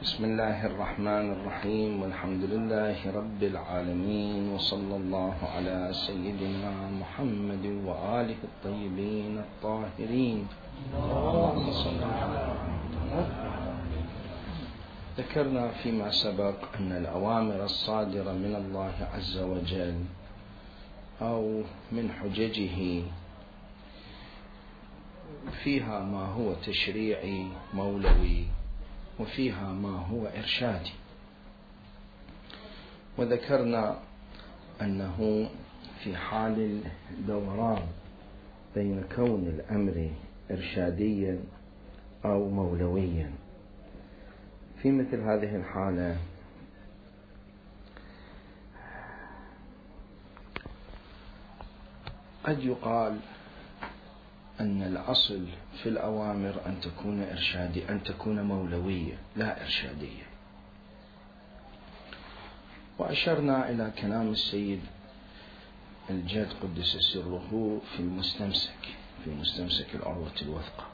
بسم الله الرحمن الرحيم، والحمد لله رب العالمين، وصلى الله على سيدنا محمد وآله الطيبين الطاهرين. اللهم صل على محمد. ذكرنا فيما سبق أن الأوامر الصادرة من الله عز وجل أو من حججه فيها ما هو تشريعي مولوي وفيها ما هو إرشادي، وذكرنا أنه في حال الدوران بين كون الأمر إرشاديا أو مولويا، في مثل هذه الحالة قد يقال أن الأصل في الأوامر أن تكون إرشادية، أن تكون مولوية لا إرشادية. وأشرنا إلى كلام السيد الجد قدس سره في مستمسك العروة الوثقى،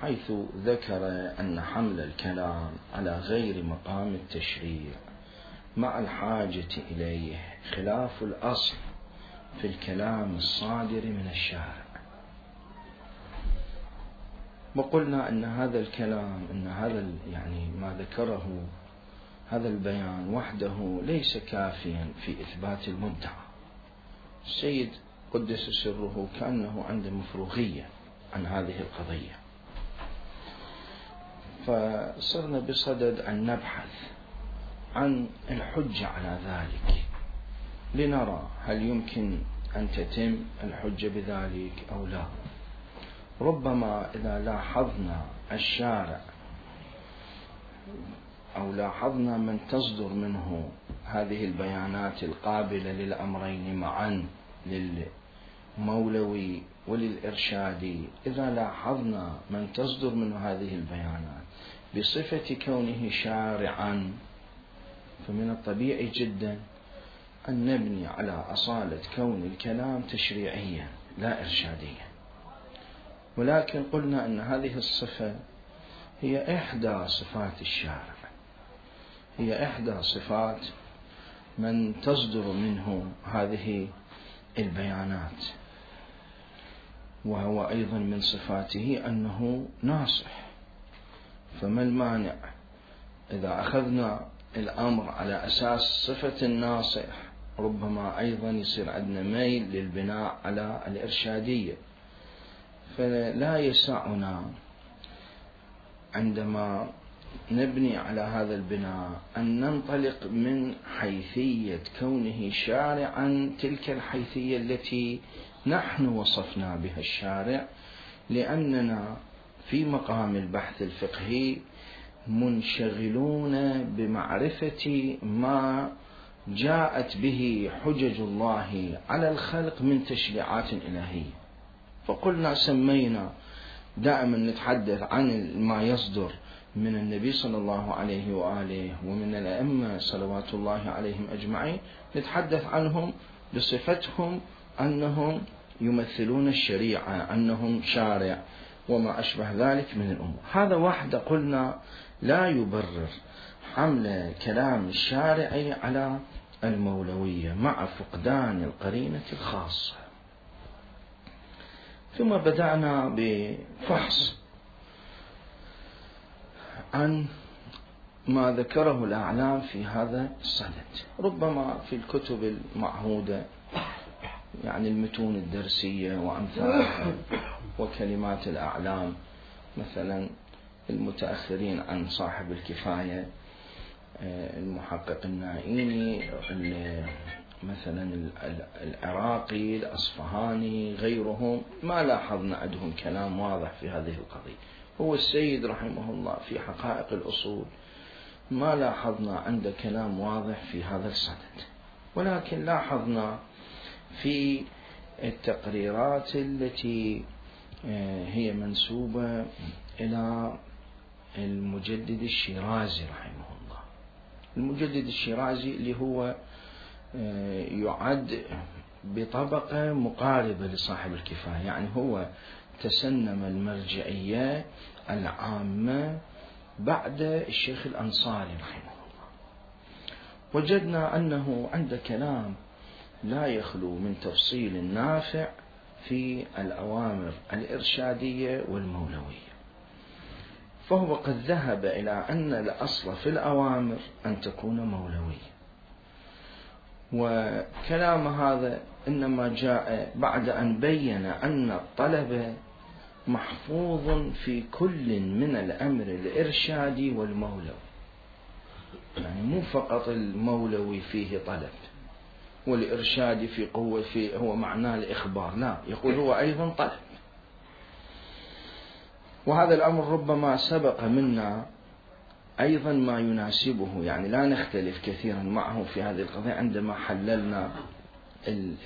حيث ذكر أن حمل الكلام على غير مقام التشريع مع الحاجة إليه خلاف الأصل في الكلام الصادر من الشارع. وقلنا أن هذا الكلام، أن هذا يعني ما ذكره هذا البيان وحده ليس كافيا في إثبات المدعى. السيد قدس سره كأنه عنده مفروغية عن هذه القضية، فصرنا بصدد أن نبحث عن الحجة على ذلك لنرى هل يمكن أن تتم الحجة بذلك أو لا. ربما إذا لاحظنا الشارع أو لاحظنا من تصدر منه هذه البيانات القابلة للأمرين معا، للمولوي وللإرشادي، إذا لاحظنا من تصدر منه هذه البيانات بصفة كونه شارعا، فمن الطبيعي جدا أن نبني على أصالة كون الكلام تشريعيا لا إرشاديا. ولكن قلنا أن هذه الصفة هي إحدى صفات الشارع، هي إحدى صفات من تصدر منه هذه البيانات، وهو أيضا من صفاته أنه ناصح. فما المانع إذا أخذنا الأمر على أساس صفة الناصح، ربما أيضا يصير عندنا ميل للبناء على الإرشادية. فلا يسعنا عندما نبني على هذا البناء أن ننطلق من حيثية كونه شارعا تلك الحيثية التي نحن وصفنا بها الشارع، لأننا في مقام البحث الفقهي منشغلون بمعرفة ما جاءت به حجج الله على الخلق من تشريعات إلهية. فقلنا سمينا دائما نتحدث عن ما يصدر من النبي صلى الله عليه وآله ومن الأئمة صلوات الله عليهم أجمعين، نتحدث عنهم بصفتهم أنهم يمثلون الشريعة، أنهم شارع وما أشبه ذلك من الأمور. هذا وحده قلنا لا يبرر حمل كلام الشارع على المولوية مع فقدان القرينة الخاصة. ثم بدأنا بفحص عن ما ذكره الأعلام في هذا الصدد، ربما في الكتب المعهودة، يعني المتون الدرسية وأمثالها وكلمات الأعلام، مثلا المتأخرين عن صاحب الكفاية المحقق النائيني، مثلا العراقي، الأصفهاني، غيرهم، ما لاحظنا عندهم كلام واضح في هذه القضية. هو السيد رحمه الله في حقائق الأصول ما لاحظنا عنده كلام واضح في هذا الصدد، ولكن لاحظنا في التقريرات التي هي منسوبة إلى المجدد الشيرازي رحمه الله. المجدد الشيرازي اللي هو يعد بطبقة مقاربة لصاحب الكفاية، يعني هو تسنم المرجعية العامة بعد الشيخ الأنصاري رحمه الله، وجدنا أنه عند كلام لا يخلو من تفصيل نافع في الأوامر الإرشادية والمولوية. فهو قد ذهب إلى أن الأصل في الأوامر أن تكون مولوية، وكلام هذا إنما جاء بعد أن بين أن الطلب محفوظ في كل من الأمر الإرشادي والمولوي، يعني مو فقط المولوي فيه طلب والإرشادي في قوة فيه هو معناه الإخبار، لا، يقول هو أيضا طلب. وهذا الأمر ربما سبق منا أيضا ما يناسبه، يعني لا نختلف كثيرا معه في هذه القضية عندما حللنا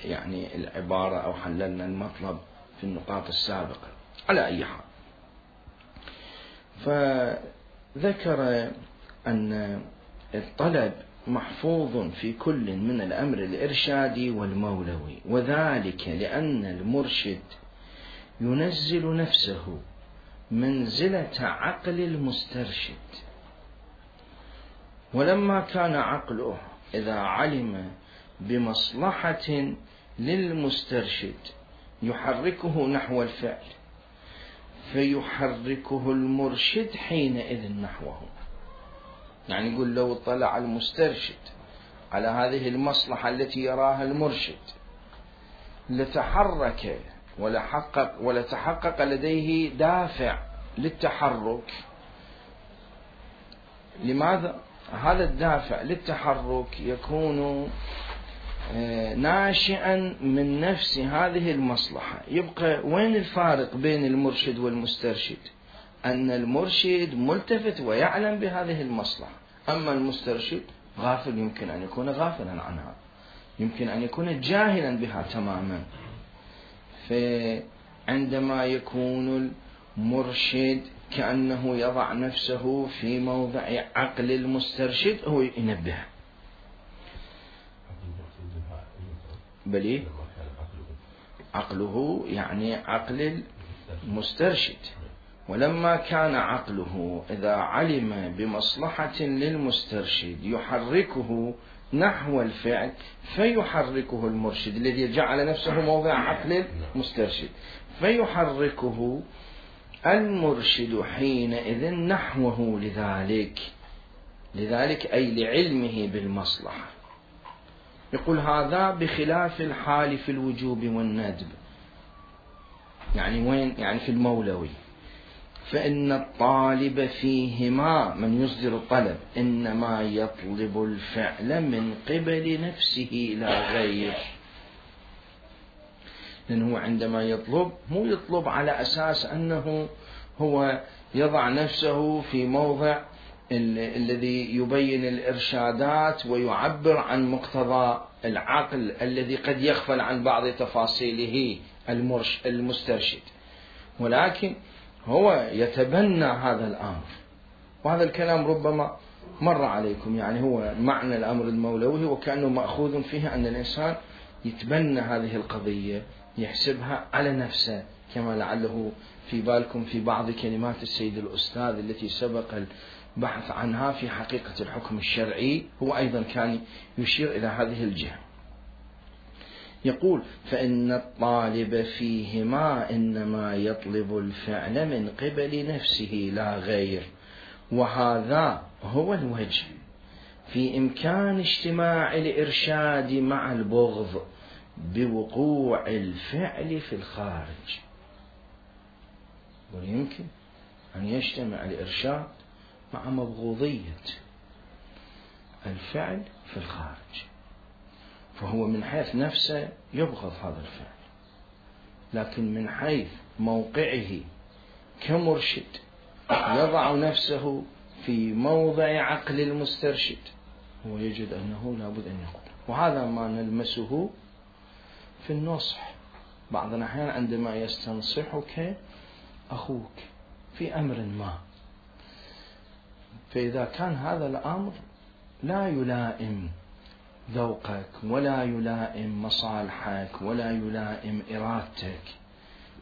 يعني العبارة أو حللنا المطلب في النقاط السابقة. على أي حال، فذكر أن الطلب محفوظ في كل من الأمر الإرشادي والمولوي، وذلك لأن المرشد ينزل نفسه منزلة عقل المسترشد، ولما كان عقله إذا علم بمصلحة للمسترشد يحركه نحو الفعل، فيحركه المرشد حينئذ نحوه. يعني يقول لو اطلع المسترشد على هذه المصلحة التي يراها المرشد لتحرك ولتحقق لديه دافع للتحرك. لماذا؟ هذا الدافع للتحرك يكون ناشئا من نفس هذه المصلحة. يبقى وين الفارق بين المرشد والمسترشد؟ أن المرشد ملتفت ويعلم بهذه المصلحة، أما المسترشد غافل، يمكن أن يكون غافلا عنها، يمكن أن يكون جاهلا بها تماما. فعندما يكون المرشد كأنه يضع نفسه في موضع عقل المسترشد، هو ينبه بل عقله، يعني عقل المسترشد. ولما كان عقله إذا علم بمصلحة للمسترشد يحركه نحو الفعل، فيحركه المرشد الذي جعل نفسه موضع عقل المسترشد، فيحركه المرشد حينئذ نحوه لذلك أي لعلمه بالمصلحة. يقول هذا بخلاف الحال في الوجوب والندب. يعني وين؟ يعني في المولوي، فإن الطالب فيهما من يصدر الطلب إنما يطلب الفعل من قبل نفسه لا غير. لأنه عندما يطلب مو يطلب على أساس أنه هو يضع نفسه في موضع الذي يبين الإرشادات ويعبر عن مقتضى العقل الذي قد يغفل عن بعض تفاصيله المسترشد، ولكن هو يتبنى هذا الأمر. وهذا الكلام ربما مر عليكم، يعني هو معنى الأمر المولوي وكأنه مأخوذ فيه أن الإنسان يتبنى هذه القضية، يحسبها على نفسه، كما لعله في بالكم في بعض كلمات السيد الأستاذ التي سبق البحث عنها في حقيقة الحكم الشرعي، هو أيضا كان يشير إلى هذه الجهة. يقول فإن الطالب فيهما إنما يطلب الفعل من قبل نفسه لا غير، وهذا هو الوجه في إمكان اجتماع الإرشاد مع البغض بوقوع الفعل في الخارج. ويمكن أن يجتمع الإرشاد مع مبغوضية الفعل في الخارج، فهو من حيث نفسه يبغض هذا الفعل، لكن من حيث موقعه كمرشد يضع نفسه في موضع عقل المسترشد، هو يجد أنه لابد أن يقول. وهذا ما نلمسه في النصح. بعض الأحيان عندما يستنصحك أخوك في أمر ما، فإذا كان هذا الأمر لا يلائم ذوقك ولا يلائم مصالحك ولا يلائم إرادتك،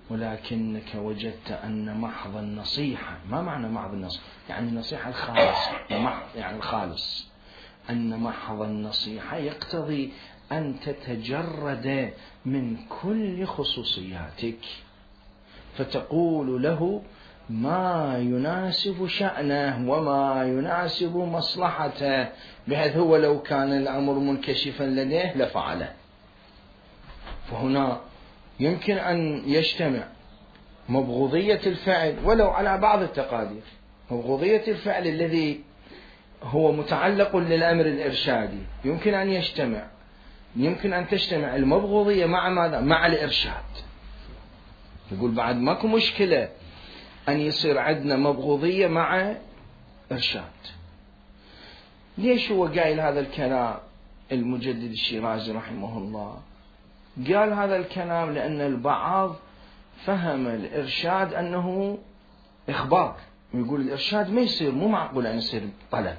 ولكنك وجدت أن محض النصيحة، ما معنى محض النصيحة؟ يعني النصيحة الخالصة، يعني الخالص، أن محض النصيحة يقتضي أن تتجرد من كل خصوصياتك، فتقول له ما يناسب شأنه وما يناسب مصلحته، بحيث هو لو كان الأمر منكشفا لديه لفعله. فهنا يمكن أن يجتمع مبغوضية الفعل ولو على بعض التقادير، مبغوضية الفعل الذي هو متعلق للأمر الإرشادي، يمكن أن تجتمع المبغوضية مع ماذا؟ مع الإرشاد. يقول بعد ماكو مشكلة أن يصير عندنا مبغوضية مع إرشاد. ليش هو قايل هذا الكلام المجدد الشيرازي رحمه الله؟ قال هذا الكلام لأن البعض فهم الإرشاد أنه إخبار، يقول الإرشاد ما يصير، مو معقول أن يصير طلب.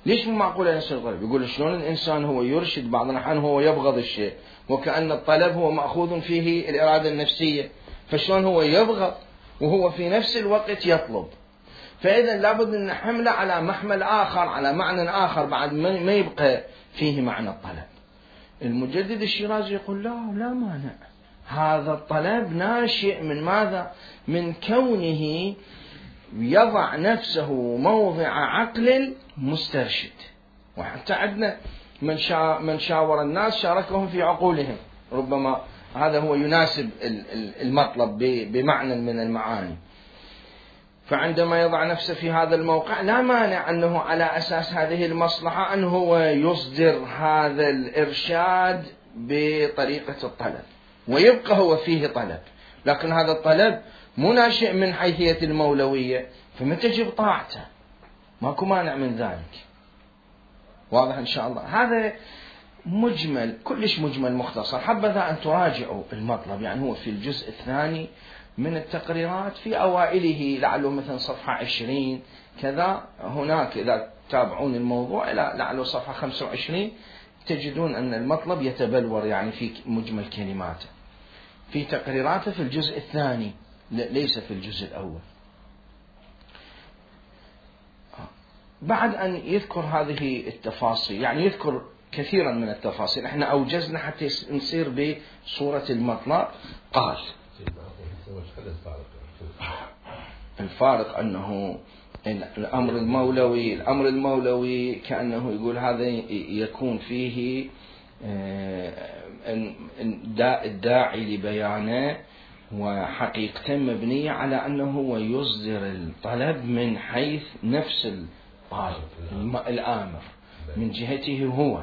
ليش مو معقول أن يصير طلب؟ يقول شلون الإنسان هو يرشد بعض الأحيان هو يبغض الشيء، وكأن الطلب هو مأخوذ فيه الإرادة النفسية، فشلون هو يبغض وهو في نفس الوقت يطلب؟ فإذا لابد أن نحمله على محمل آخر، على معنى آخر بعد ما يبقى فيه معنى الطلب. المجدد الشيرازي يقول لا مانع، هذا الطلب ناشئ من ماذا؟ من كونه يضع نفسه موضع عقل مسترشد. وحتى عندنا من شاور الناس شاركهم في عقولهم، ربما هذا هو يناسب المطلب بمعنى من المعاني. فعندما يضع نفسه في هذا الموقع لا مانع أنه على أساس هذه المصلحة أنه هو يصدر هذا الإرشاد بطريقة الطلب، ويبقى هو فيه طلب، لكن هذا الطلب مو ناشئ من حيثية المولوية، فما تجب طاعته، ماكو مانع من ذلك. واضح إن شاء الله؟ هذا مجمل، كلش مجمل مختصر، حبذا أن تراجعوا المطلب. يعني هو في الجزء الثاني من التقريرات في أوائله، لعله مثلا صفحة 20 كذا، هناك إذا تابعون الموضوع إلى لعله صفحة 25 تجدون أن المطلب يتبلور يعني في مجمل كلماته في تقريراته في الجزء الثاني، ليس في الجزء الأول. بعد أن يذكر هذه التفاصيل، يعني يذكر كثيرا من التفاصيل، احنا أوجزنا حتى نصير بصورة المطلب. قال الفارق أنه الأمر المولوي كأنه يقول هذا يكون فيه الداعي لبيانه وحقيقة مبنية على أنه هو يصدر الطلب من حيث نفس الآمر من جهته هو،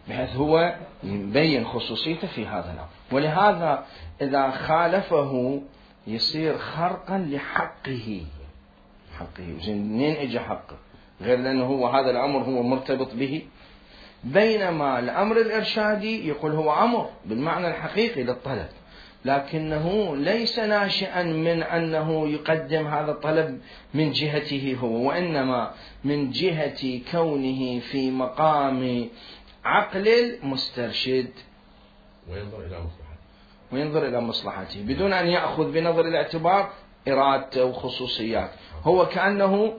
بحيث هو يبين خصوصيته في هذا الأمر. ولهذا إذا خالفه يصير خرقا لحقه. منين اجى حقه؟ غير لأنه هو هذا الأمر هو مرتبط به، بينما الأمر الإرشادي يقول هو أمر بالمعنى الحقيقي للطلب، لكنه ليس ناشئا من أنه يقدم هذا الطلب من جهته هو، وإنما من جهة كونه في مقام عقل المسترشد وينظر إلى مصلحته بدون أن يأخذ بنظر الاعتبار إرادته وخصوصيات. هو كأنه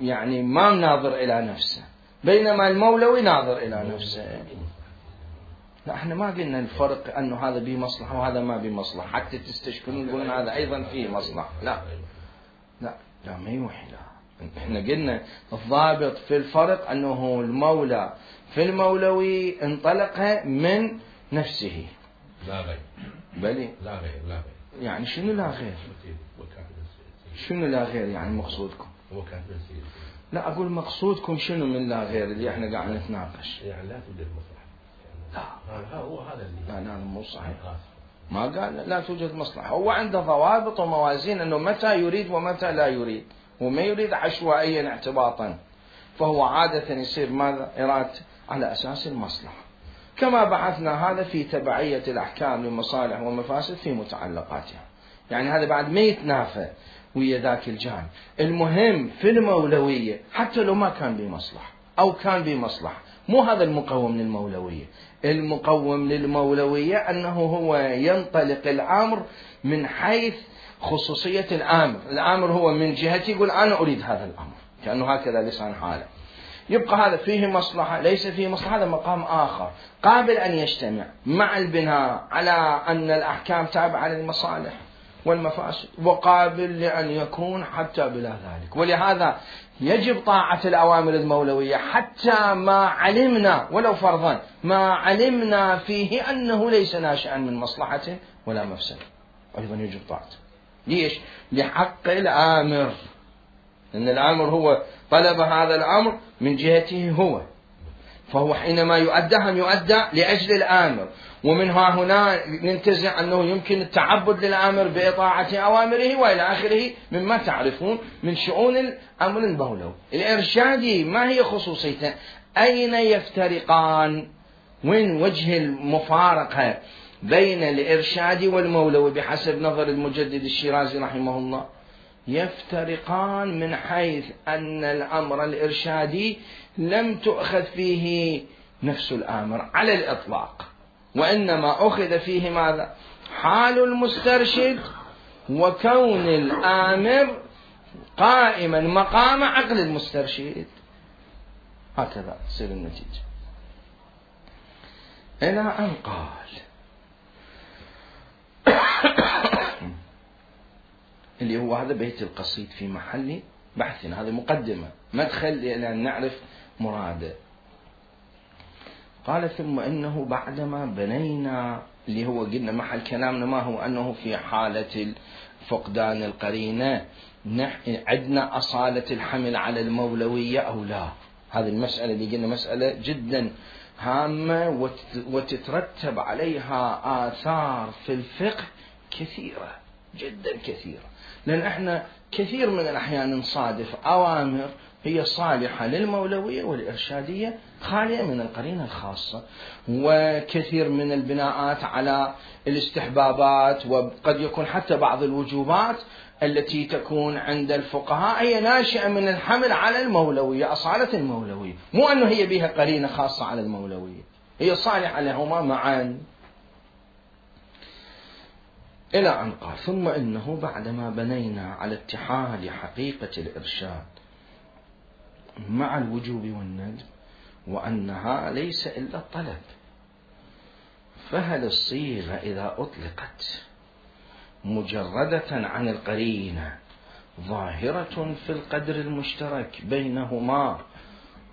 يعني ما ناظر إلى نفسه، بينما المولوي ناظر إلى نفسه. لا، احنا ما قلنا الفرق أنه هذا به مصلحة وهذا ما به مصلحة حتى تستشكلون يقولون هذا أيضا فيه مصلحة. لا ما يوحي. لا، احنا قلنا الضابط في الفرق أنه المولى في المولوي انطلق من نفسه، لا غير. بلي لا غير. يعني شنو لا غير؟ شنو لا غير يعني مقصودكم؟ لا، أقول مقصودكم شنو من لا غير اللي احنا قاعد نتناقش؟ يعني لا توجد مصلحة. لا هو هذا اللي لا مو صحيح. ما قال لا توجد مصلحة، هو عنده ضوابط وموازين أنه متى يريد ومتى لا يريد، وما يريد عشوائيا اعتباطا، فهو عادة يصير ماذا؟ إرادة على أساس المصلحة، كما بحثنا هذا في تبعية الأحكام لمصالح ومفاسد في متعلقاتها. يعني هذا بعد ما يتنافى ويا ذاك الجانب. المهم في المولوية حتى لو ما كان بمصلحة، أو كان بمصلحة. مو هذا المقوم للمولوية. المقوم للمولوية أنه هو ينطلق الأمر من حيث خصوصية الآمر. الآمر هو من جهتي يقول أنا أريد هذا الأمر، كأنه هكذا لسان حاله. يبقى هذا فيه مصلحة ليس فيه مصلحة، هذا مقام آخر قابل أن يجتمع مع البناء على أن الأحكام تابعة للمصالح والمفاسد، وقابل لأن يكون حتى بلا ذلك. ولهذا يجب طاعة الأوامر المولوية حتى ما علمنا ولو فرضا ما علمنا فيه أنه ليس ناشئا من مصلحة ولا مفسدة، أيضا يجب طاعته. ليش؟ لحق الآمر، لأن الآمر هو طلب هذا الأمر من جهته هو، فهو حينما يؤدى يؤدى لأجل الآمر. ومنها هنا ننتزع أنه يمكن التعبد للآمر بإطاعة أوامره وإلى آخره مما تعرفون من شؤون الأمر المولوي. الإرشادي ما هي خصوصيته؟ أين يفترقان؟ وين وجه المفارقة بين الإرشادي والمولوي بحسب نظر المجدد الشيرازي رحمه الله؟ يفترقان من حيث أن الأمر الإرشادي لم تؤخذ فيه نفس الآمر على الإطلاق، وإنما أخذ فيه ماذا؟ حال المسترشد وكون الآمر قائما مقام عقل المسترشد. هكذا تصير النتيجة. إلى أن قال اللي هو هذا بيت القصيد في محل بحثنا، هذه مقدمة مدخل إلى أن نعرف مراده. قال ثم إنه بعدما بنينا، اللي هو قلنا محل كلامنا ما هو أنه في حالة فقدان القرينة عندنا أصالة الحمل على المولوية أو لا. هذه المسألة اللي قلنا مسألة جدا هامة وتترتب عليها آثار في الفقه كثيرة جدا كثيرة، لأن احنا كثير من الأحيان نصادف أوامر هي صالحة للمولوية والإرشادية خالية من القرينة الخاصة، وكثير من البناءات على الاستحبابات، وقد يكون حتى بعض الوجوبات التي تكون عند الفقهاء هي ناشئة من الحمل على المولوية، أصالة المولوية، مو أنه هي بها قرينة خاصة على المولوية، هي صالحة لهما معا. إلى أن قال ثم إنه بعدما بنينا على اتحاد حقيقة الإرشاد مع الوجوب والندب وأنها ليس إلا الطلب، فهل الصيغة إذا أطلقت مجردة عن القرينة ظاهرة في القدر المشترك بينهما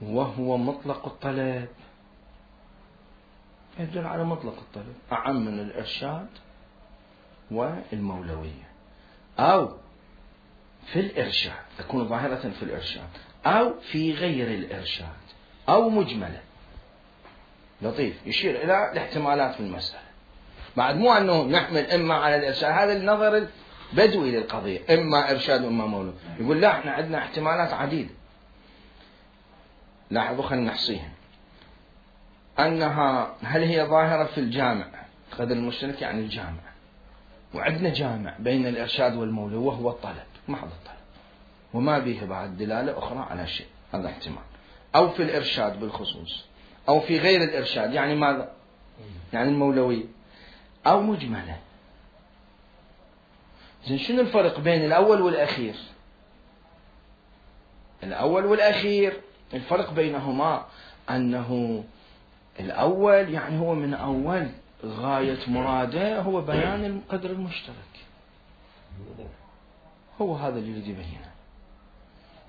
وهو مطلق الطلب؟ يدل على مطلق الطلب أعم من الإرشاد والمولوية، أو في الإرشاد تكون ظاهرة في الإرشاد أو في غير الإرشاد أو مجملة. لطيف يشير إلى الاحتمالات في المسألة، بعد مو أنه نحمل إما على الإرشاد، هذا النظر البدوي للقضية، إما إرشاد وإما مولوي. يقول لا احنا عندنا احتمالات عديدة. لاحظوا خلينا نحصيها، أنها هل هي ظاهرة في الجامع قدر المشترك يعني الجامع، وعندنا جامع بين الإرشاد والمولوي وهو الطلب محض الطلب وما به بعد دلالة أخرى على شيء، هذا احتمال. أو في الإرشاد بالخصوص أو في غير الإرشاد يعني ماذا؟ يعني المولوي أو مجملة. زين شنو الفرق بين الأول والأخير؟ الأول والأخير الفرق بينهما أنه الأول يعني هو من أول غاية مراده هو بيان القدر المشترك، هو هذا اللي يريد يبينه،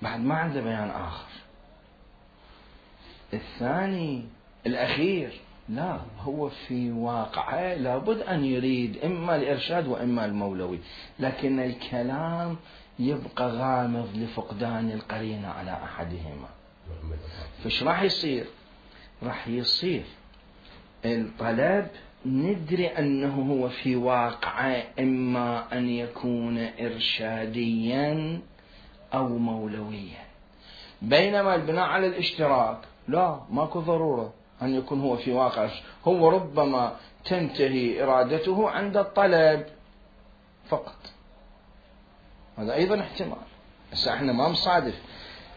بعد ما عنده بيان آخر. الثاني الأخير لا، هو في واقعه لابد أن يريد إما الإرشاد وإما المولوي، لكن الكلام يبقى غامض لفقدان القرينة على أحدهما. فش راح يصير؟ راح يصير الطلب ندري أنه هو في واقعه إما أن يكون إرشاديا أو مولويا، بينما البناء على الاشتراك لا، ماكو ضرورة أن يكون هو في واقع، هو ربما تنتهي إرادته عند الطلب فقط، هذا أيضا احتمال. بس احنا ما مصادف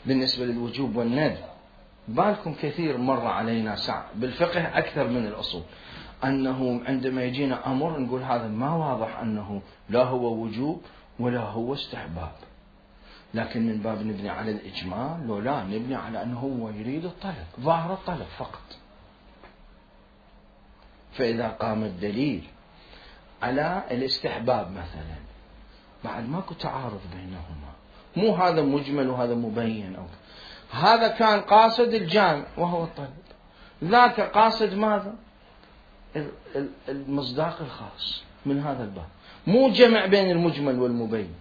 بالنسبة للوجوب والندب، بالكم كثير مر علينا ساعة بالفقه أكثر من الأصول أنه عندما يجينا أمر نقول هذا ما واضح أنه لا هو وجوب ولا هو استحباب، لكن من باب نبني على الإجمال لو لا نبني على أنه هو يريد الطلب، ظاهر الطلب فقط. فإذا قام الدليل على الاستحباب مثلا بعد ماكو تعارض بينهما، مو هذا مجمل وهذا مبين، أو هذا كان قاصد الجامع وهو الطلب، ذاك قاصد ماذا؟ المصداق الخاص من هذا الباب، مو جمع بين المجمل والمبين،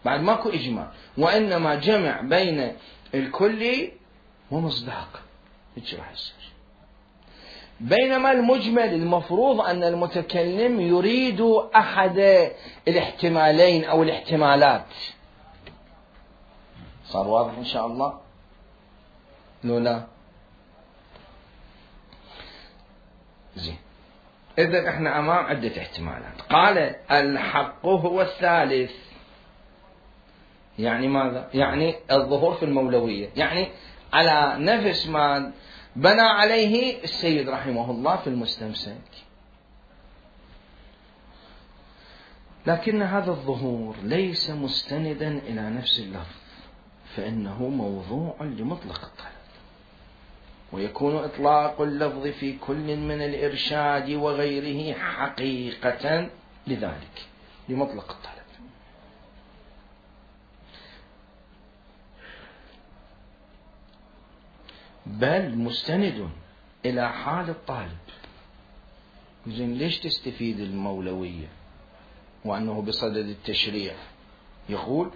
بعد ماكو إجمال، وإنما جمع بين الكلي ومصداق، هيك راح يصير. بينما المجمل المفروض أن المتكلم يريد أحد الاحتمالين أو الاحتمالات. صار واضح إن شاء الله؟ لو لا زين. إذن إحنا أمام عدة احتمالات. قال الحق هو الثالث، يعني ماذا؟ يعني الظهور في المولوية، يعني على نفس ما بنى عليه السيد رحمه الله في المستمسك. لكن هذا الظهور ليس مستندا إلى نفس اللفظ، فإنه موضوع لمطلق الطلب، ويكون إطلاق اللفظ في كل من الإرشاد وغيره حقيقة لذلك لمطلق الطلب. بل مستند إلى حال الطالب. زين ليش تستفيد المولوية وأنه بصدد التشريع؟ يقول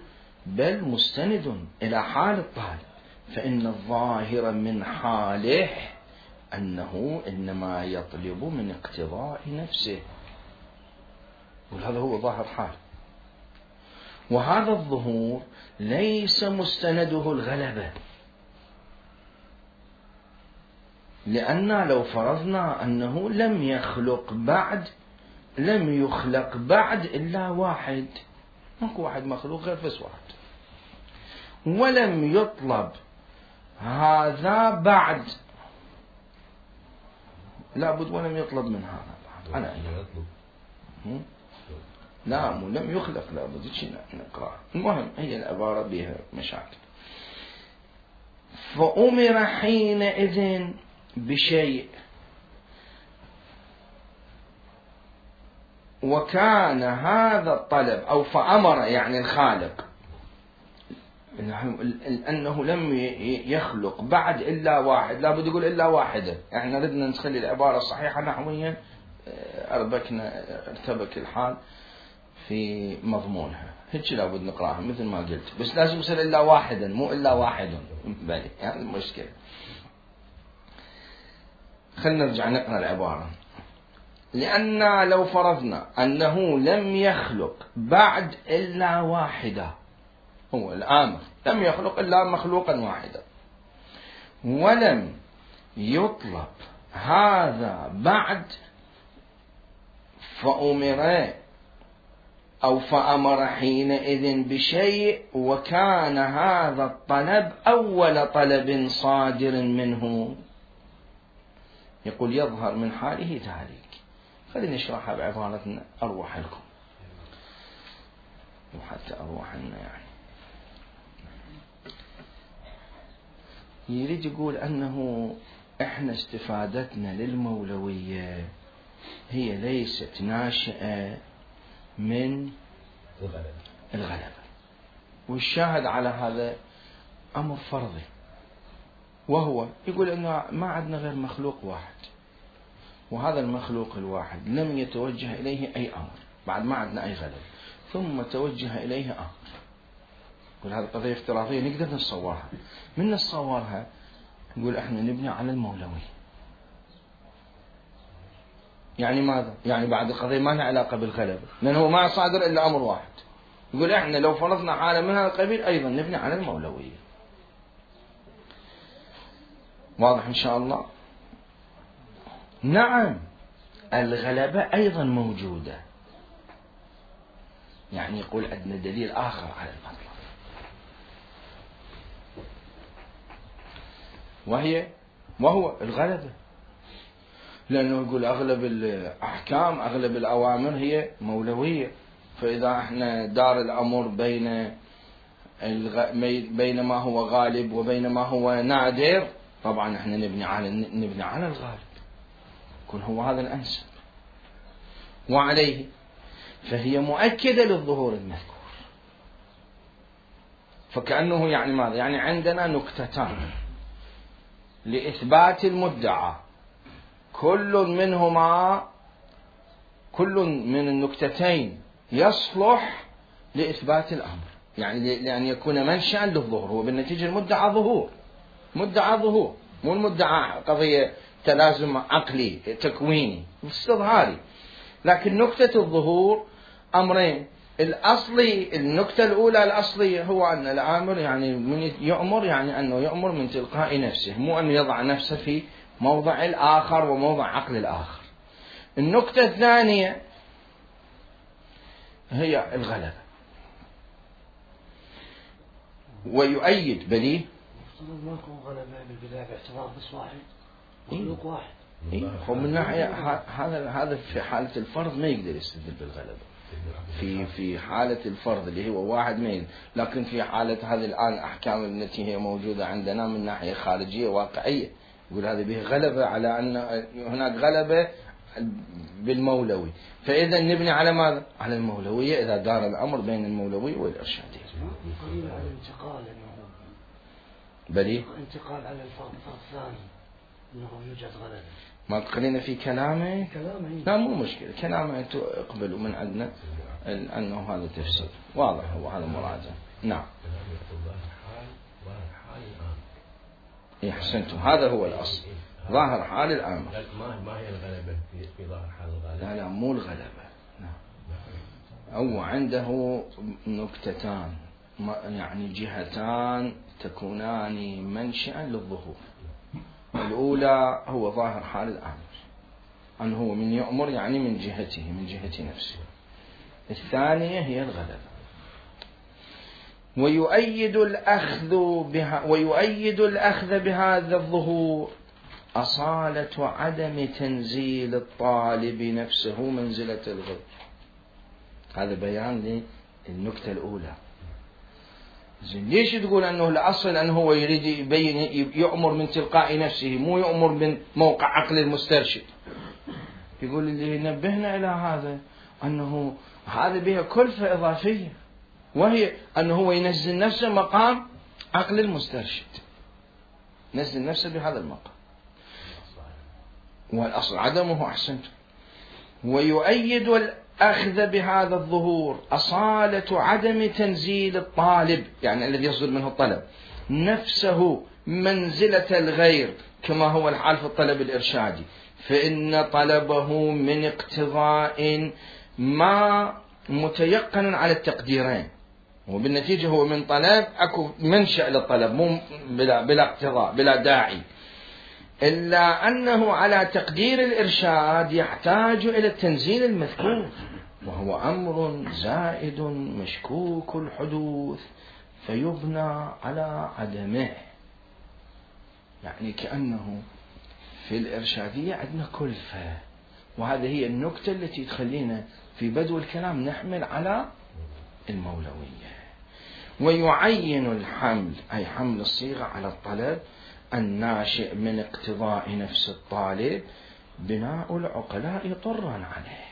بل مستند إلى حال الطالب، فإن الظاهر من حاله أنه إنما يطلب من اقتضاء نفسه، وهذا هو ظاهر حال. وهذا الظهور ليس مستنده الغلبة، لأن لو فرضنا أنه لم يخلق بعد إلا واحد، ماكو واحد مخلوق غير بس واحد، ولم يطلب هذا بعد، لابد ولم يطلب من هذا بعد. أنا لا مو لم يخلق، لابد نقرأ. المهم هي العبارة بها مشاكل. فأمر حينئذ بشيء، وكان هذا الطلب أو فأمر يعني الخالق أنه لم يخلق بعد إلا واحد، لا بد يقول إلا واحدة. احنا ردنا نخلي العبارة الصحيحة نحويا، ارتبك الحال في مضمونها، هيك لا بد نقراها مثل ما قلت، بس لازم يصير إلا واحدا مو إلا واحد بالي، يعني المشكلة. خلنا نرجع نقرأ العبارة. لأن لو فرضنا أنه لم يخلق بعد إلا واحدة، هو الآمر لم يخلق إلا مخلوقا واحدا، ولم يطلب هذا بعد، فأمر حينئذ بشيء، وكان هذا الطلب أول طلب صادر منه. يقول يظهر من حاله ذلك. خلينا نشرحها بعبارة أروح لكم وحتى أروح لنا. يعني يريد يقول أنه إحنا استفادتنا للمولوية هي ليست ناشئة من الغلبة، والشاهد على هذا أمر فرضي، وهو يقول أنه ما عندنا غير مخلوق واحد، وهذا المخلوق الواحد لم يتوجه إليه أي أمر، بعد ما عندنا أي غلبة، ثم توجه إليه أمر. يقول هذه قضية افتراضية نقدر نتصورها، من نتصورها نقول احنا نبني على المولوية. يعني ماذا؟ يعني بعد القضية ما لها علاقة بالغلبة، لأنه ما صادر إلا أمر واحد. يقول احنا لو فرضنا حالة من هذا القبيل أيضا نبني على المولوية. واضح إن شاء الله؟ نعم الغلبة أيضا موجودة، يعني يقول عندنا دليل آخر على المطلب. وهو الغلبة، لأنه يقول أغلب الأحكام أغلب الأوامر هي مولوية، فإذا احنا دار الأمر بين ما هو غالب وبين ما هو نادر، طبعا احنا نبني على الغالب، يكون هو هذا الأنسب، وعليه فهي مؤكدة للظهور المذكور. فكأنه يعني ماذا؟ يعني عندنا نكتتان لإثبات المدعى، كل من النكتتين يصلح لإثبات الأمر، يعني لأن يكون منشأ للظهور. هو بالنتيجة المدعى ظهور، مو المدعى قضية تلازم عقلي تكويني استظهاري. لكن نكتة الظهور أمرين: الأصلي، النكتة الأولى الأصلية هو أن الآمر يعني من يؤمر، يعني أنه يؤمر من تلقاء نفسه، مو أن يضع نفسه في موضع الآخر وموضع عقل الآخر. النكتة الثانية هي الغلبة. ويؤيد بليه ما يكون غلبة بالبداية باعتبار بس واحد مخلوق واحد. من ناحية هذا في حالة الفرض ما يقدر يستدل بالغلبة، في حالة الفرض اللي هو واحد ما يقدر. لكن في حالة هذه الآن الأحكام التي هي موجودة عندنا من ناحية خارجية واقعية، يقول هذا به غلبة على أن هناك غلبة بالمولوي، فإذا نبني على ماذا؟ على المولوية إذا دار الأمر بين المولوية والإرشادية. قليل على الانتقال، بلي انتقال على الفرض الثاني أنه يوجد غلبة. ما تقلين في كلامه؟ لا مو مشكلة، كلامه اقبلوا من عندنا أنه هذا تفسير واضح، هو هذا مراجع. نعم أحسنتم، هذا هو الأصل، ظاهر حال الآمر. ما هي الغلبة في ظاهر حال الغالب؟ لا مو الغلبة، هو عنده نكتتان، يعني جهتان تكونان منشأ للظهور. الأولى هو ظاهر حال الآمر، أنه هو من يؤمر يعني من جهته، من جهة نفسه. الثانية هي الغلبة. ويؤيد الأخذ بهذا الظهور أصالة عدم تنزيل الطالب نفسه منزلة الغير. هذا بيان للنكتة الأولى. ليش تقول أنه الأصل أنه هو يريد يبين يؤمر من تلقاء نفسه، مو يؤمر من موقع عقل المسترشد؟ يقول اللي نبهنا إلى هذا أنه هذا بها كلفة إضافية، وهي أنه هو ينزل نفسه مقام عقل المسترشد، نزل نفسه بهذا المقام، والأصل عدمه. أحسنت. ويؤيد الأخذ بهذا الظهور أصالة عدم تنزيل الطالب، يعني الذي يصدر منه الطلب، نفسه منزلة الغير كما هو الحال في الطلب الإرشادي، فإن طلبه من اقتضاء ما متيقن على التقديرين، وبالنتيجة هو من طلب أكو منشأ للطلب، مو بلا اقتضاء بلا داعي، إلا أنه على تقدير الإرشاد يحتاج إلى التنزيل المذكور، وهو أمر زائد مشكوك الحدوث فيبنى على عدمه. يعني كأنه في الإرشادية عندنا كلفة، وهذه هي النكتة التي تخلينا في بدو الكلام نحمل على المولوية. ويعين الحمل، أي حمل الصيغة على الطلب الناشئ من اقتضاء نفس الطالب، بناء العقلاء طرا عليه.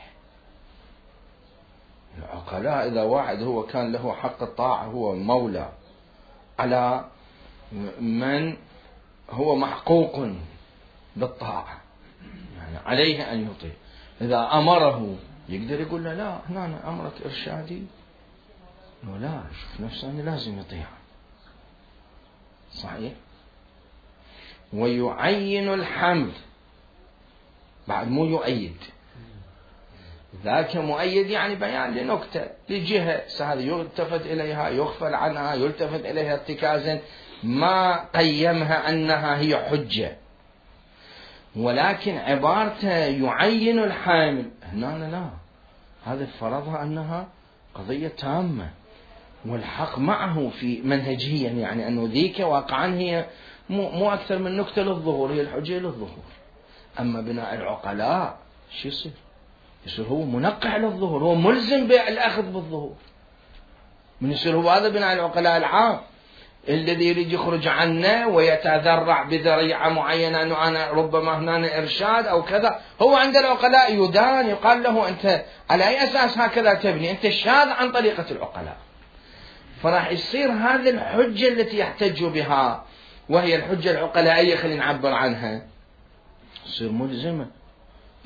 العقلاء إذا واحد هو كان له حق الطاعة، هو مولى على من هو محقوق بالطاعة، يعني عليه أن يطيع. إذا أمره يقدر يقول له لا هنا أنا أمرك إرشادي، لا شوف نفسه أنه لازم يطيع. صحيح. ويعين الحمل، بعد مو يؤيد، ذاك مؤيد يعني بيان لنكتة لجهة، هذا يلتفت إليها يغفل عنها يلتفت إليها ارتكازا، ما قيمها أنها هي حجة، ولكن عبارته يعين الحامل هنا لا، هذا فرضها أنها قضية تامة والحق معه في منهجيا، يعني أنه ذيك واقعا هي مو أكثر من نكتة للظهور، هي الحجة للظهور. أما بناء العقلاء شو يصير؟ يصير هو منقع للظهور، هو ملزم بالأخذ بالظهور. من يصير هو هذا بناء العقلاء العام الذي يريد يخرج عنه ويتذرع بذريعة معينة أنه أنا ربما هنا إرشاد أو كذا. هو عند العقلاء يدان، يقال له أنت على أي أساس هكذا تبني؟ أنت شاذ عن طريقة العقلاء. فراح يصير هذه الحجة التي يحتج بها، وهي الحجة العقلائية خلينا نعبر عنها، تصير ملزمة.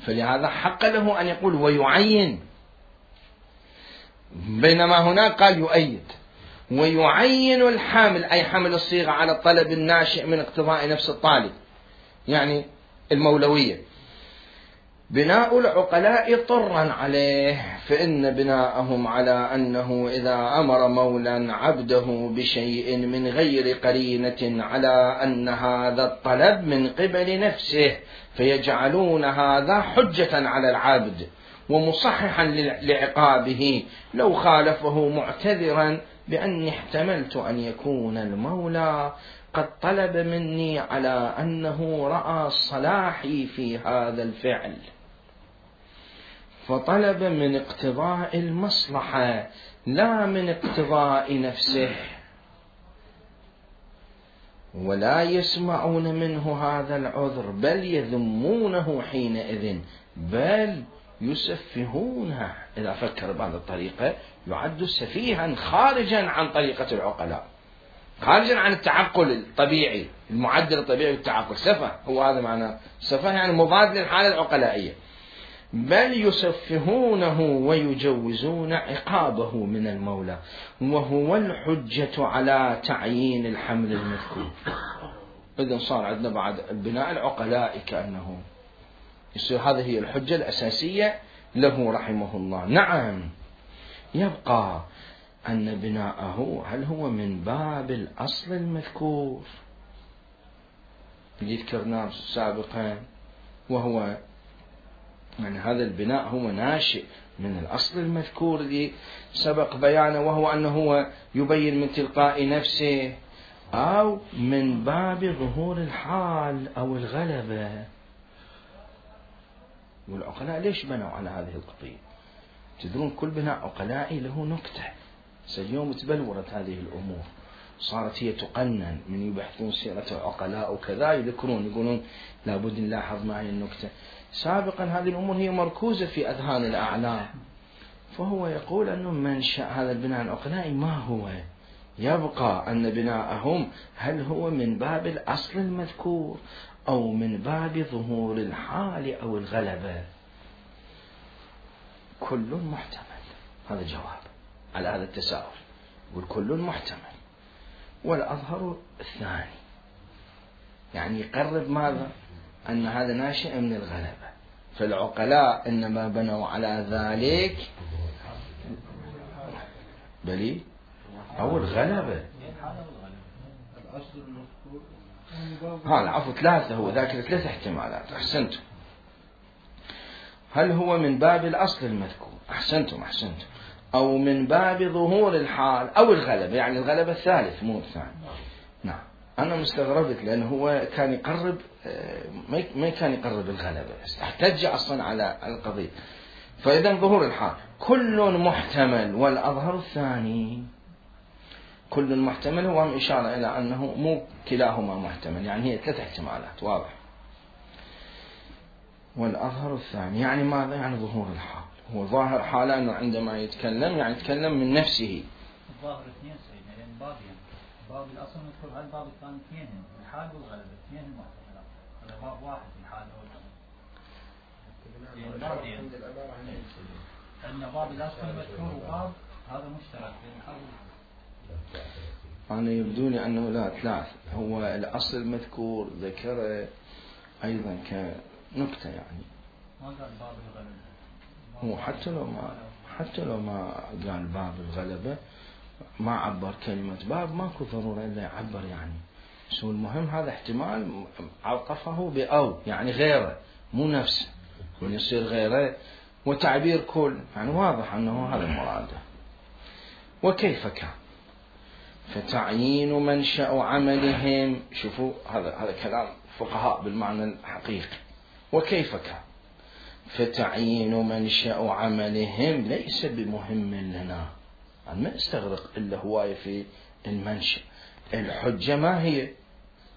فلهذا حق له أن يقول ويعين، بينما هناك قال يؤيد. ويعين الحامل، أي حمل الصيغة على الطلب الناشئ من اقتضاء نفس الطالب، يعني المولوية. بناء العقلاء طرا عليه، فإن بناءهم على أنه إذا أمر مولا عبده بشيء من غير قرينة على أن هذا الطلب من قبل نفسه، فيجعلون هذا حجة على العبد ومصححا لعقابه لو خالفه، معتذرا بأني احتملت أن يكون المولى قد طلب مني على أنه رأى صلاحي في هذا الفعل، فطلب من اقتضاء المصلحة لا من اقتضاء نفسه، ولا يسمعون منه هذا العذر، بل يذمونه حينئذ، بل يسفهونه. إذا فكر بهذه الطريقة يعد سفيها خارجا عن طريقة العقلاء، خارجا عن التعقل الطبيعي، المعدل الطبيعي للتعقل. سفه، هو هذا معنى سفه، يعني مضاد للحالة العقلائية. بل يسفهونه ويجوزون عقابه من المولى، وهو الحجة على تعيين الحمل المذكور. إذن صار عندنا بعد البناء العقلائي كأنه يصير هذه هي الحجة الأساسية له رحمه الله. نعم، يبقى أن بناءه هل هو من باب الأصل المذكور اللي ذكرناه سابقا، وهو يعني هذا البناء هو ناشئ من الأصل المذكور اللي سبق بيانه، وهو أنه هو يبين من تلقاء نفسه، أو من باب ظهور الحال أو الغلبة. والعقلاء ليش بنوا على هذه القضية؟ تدرون كل بناء عقلائي له نكتة. اليوم تبلورت هذه الأمور، صارت هي تقنن، من يبحثون سيرة العقلاء وكذا يذكرون يقولون لابد نلاحظ معي النكتة. سابقا هذه الأمور هي مركوزة في أذهان الأعلام، فهو يقول أنه منشأ هذا البناء العقلائي ما هو. يبقى أن بناءهم هل هو من باب الأصل المذكور أو من باب ظهور الحال أو الغلبة. كل محتمل، هذا جواب على هذا التساؤل، والكل محتمل. والأظهر الثاني، يعني يقرب ماذا؟ أن هذا ناشئ من الغلبة. فالعقلاء إنما بنوا على ذلك بلي أو الغلبة. العفو ثلاثة، هو ذاكر ثلاث احتمالات. أحسنتم. هل هو من باب الأصل المذكور؟ أحسنتم. أو من باب ظهور الحال أو الغلبة، يعني الغلبة الثالث مو الثاني. نعم، أنا مستغربت لأنه هو كان يقرب، ما كان يقرب الغلبة، احتج أصلا على القضية. فإذا ظهور الحال كل محتمل، والأظهر الثاني. كل محتمل هو إشارة إلى أنه مو كلاهما محتمل، يعني هي ثلاث احتمالات، واضح. والأظهر الثاني يعني ماذا؟ يعني ظهور الحال. هو ظاهر حاله أنه عندما يتكلم يعني يتكلم من نفسه. الظاهر اثنين سيدنا، لأن بابين، باب الأصل مذكور، هالباب الثاني اثنين، الحال والغلبة اثنين محتملات. هذا باب واحد، الحال والغلبة. أن باب الأصل مذكور وباب هذا مشترك بين الحال والغلبة. أنا يبدو لي أنه لا ثلاث، هو الأصل المذكور ذكره أيضا كنكتة، يعني ما قال باب الغلبة. هو حتى لو ما قال باب الغلبة، ما عبر كلمة باب، ماكو ضرورة إلا يعبر يعني. شو المهم هذا احتمال عطفه بأو، يعني غيره مو نفسه، من يصير غيره، وتعبير كل، يعني واضح أنه هذا مراده. وكيف كان؟ فتعيين منشأ عملهم، شوفوا هذا كلام فقهاء بالمعنى الحقيقي، وكيف كان؟ فتعيين منشأ عملهم ليس بمهم لنا، يعني ما استغرق إلا هواية في المنشأ. الحجة ما هي؟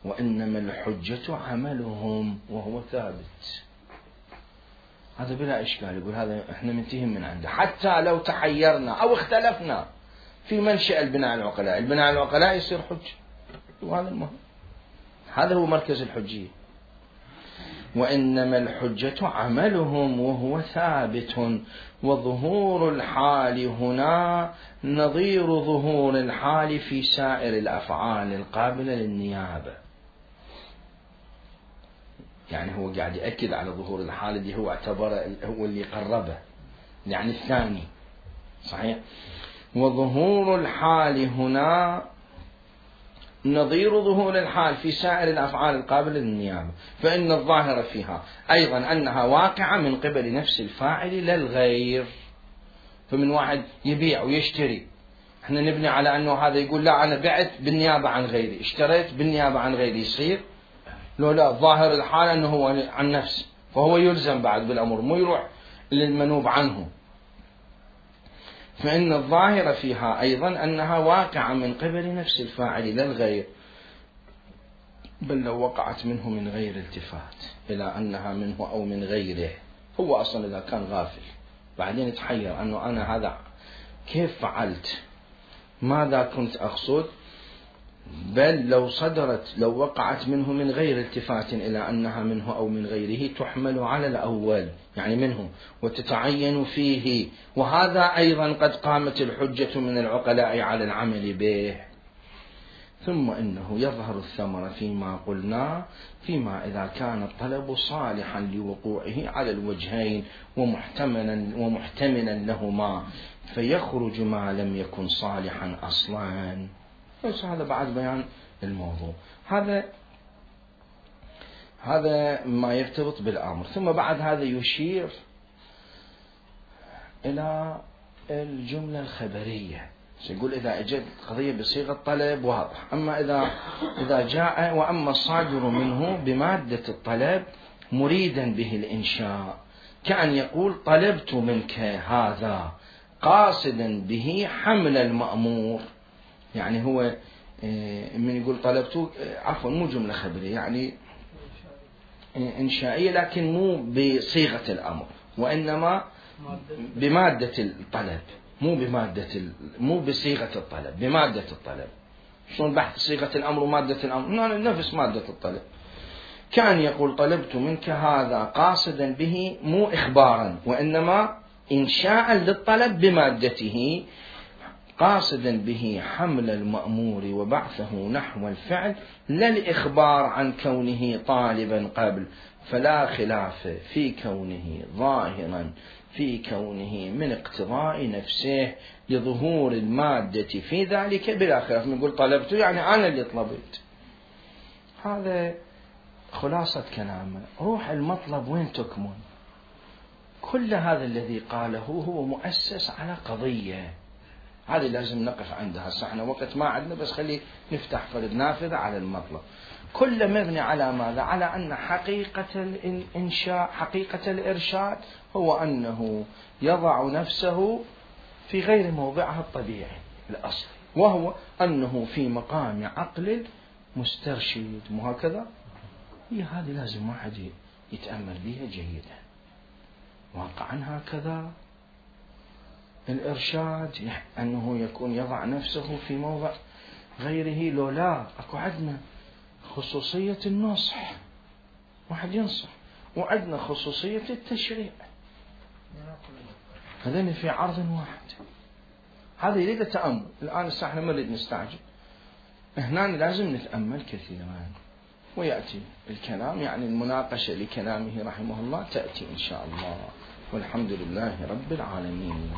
وإنما الحجة عملهم وهو ثابت. هذا بلا إشكال، يقول هذا إحنا منتهي من عنده، حتى لو تحيرنا أو اختلفنا في منشأ البناء العقلاء، البناء العقلاء يصير حجة، وهذا المهم، هذا هو مركز الحجية. وإنما الحجة عملهم وهو ثابت، وظهور الحال هنا نظير ظهور الحال في سائر الأفعال القابلة للنيابة. يعني هو قاعد يأكد على ظهور الحال اللي هو اعتبره هو اللي قربه، يعني الثاني صحيح. وظهور الحال هنا نظير ظهور الحال في سائر الأفعال القابلة للنيابة، فإن الظاهر فيها أيضا أنها واقعة من قبل نفس الفاعل لا الغير. فمن واحد يبيع ويشتري، احنا نبني على أنه هذا يقول لا أنا بعت بالنيابة عن غيري، اشتريت بالنيابة عن غيري، يصير؟ لو لا، ظاهر الحال أنه هو عن نفسه، فهو يلزم بعد بالأمر، مو يروح للمنوب عنه. فإن الظاهر فيها أيضا أنها واقعة من قبل نفس الفاعل لا الغير، بل لو وقعت منه من غير التفات إلى أنها منه أو من غيره، هو أصلا إذا كان غافل بعدين يتحير أنه أنا هذا كيف فعلت، ماذا كنت أقصد، بل لو وقعت منه من غير التفات إلى أنها منه أو من غيره تحمل على الأول، يعني منه، وتتعين فيه. وهذا أيضا قد قامت الحجة من العقلاء على العمل به. ثم إنه يظهر الثمر فيما قلنا، فيما إذا كان الطلب صالحا لوقوعه على الوجهين ومحتملا لهما، فيخرج ما لم يكن صالحا أصلا. بس هذا بعد بيان الموضوع، هذا ما يرتبط بالأمر. ثم بعد هذا يشير إلى الجملة الخبرية، يقول إذا أجد قضية بصيغة طلب واضح، أما إذا جاء وأما الصادر منه بمادة الطلب مريدا به الإنشاء، كأن يقول طلبت منك هذا قاصدا به حمل المأمور. يعني هو من يقول طلبته، عفوا مو جملة خبرية، يعني إنشائية، لكن مو بصيغة الأمر، وإنما بمادة الطلب، مو بصيغة الطلب، بمادة الطلب. شلون بحث صيغة الأمر ومادة الأمر؟ نفس مادة الطلب. كان يقول طلبت منك هذا قاصدا به، مو إخبارا وإنما إنشاء للطلب بمادته، قاصدا به حمل المأمور وبعثه نحو الفعل، لا الإخبار عن كونه طالبا قبل، فلا خلاف في كونه ظاهرا في كونه من اقتضاء نفسه لظهور المادة في ذلك بلا خلاف. نقول طلبته يعني أنا اللي طلبت. هذا خلاصة كلامه. روح المطلب وين تكمن؟ كل هذا الذي قاله هو مؤسس على قضية، هذه لازم نقف عندها. صحنا وقت ما عندنا، بس خلي نفتح فرد نافذة على المطلب. كل مبني على ماذا؟ على أن حقيقة الإنشاء، حقيقة الإرشاد، هو أنه يضع نفسه في غير موضعها الطبيعي الأصلي، وهو أنه في مقام عقل مسترشد. مو هكذا؟ هي هذه لازم واحد يتأمل بها جيدا. واقعا هكذا الإرشاد، أنه يكون يضع نفسه في موضع غيره. لو لا، أكو عندنا خصوصية النصح، واحد ينصح، وعندنا خصوصية التشريع، هذين في عرض واحد. هذا يريد تأمل. الآن احنا ما نريد نستعجل، هنا لازم نتأمل كثيرا، ويأتي الكلام، يعني المناقشة لكلامه رحمه الله تأتي إن شاء الله. والحمد لله رب العالمين.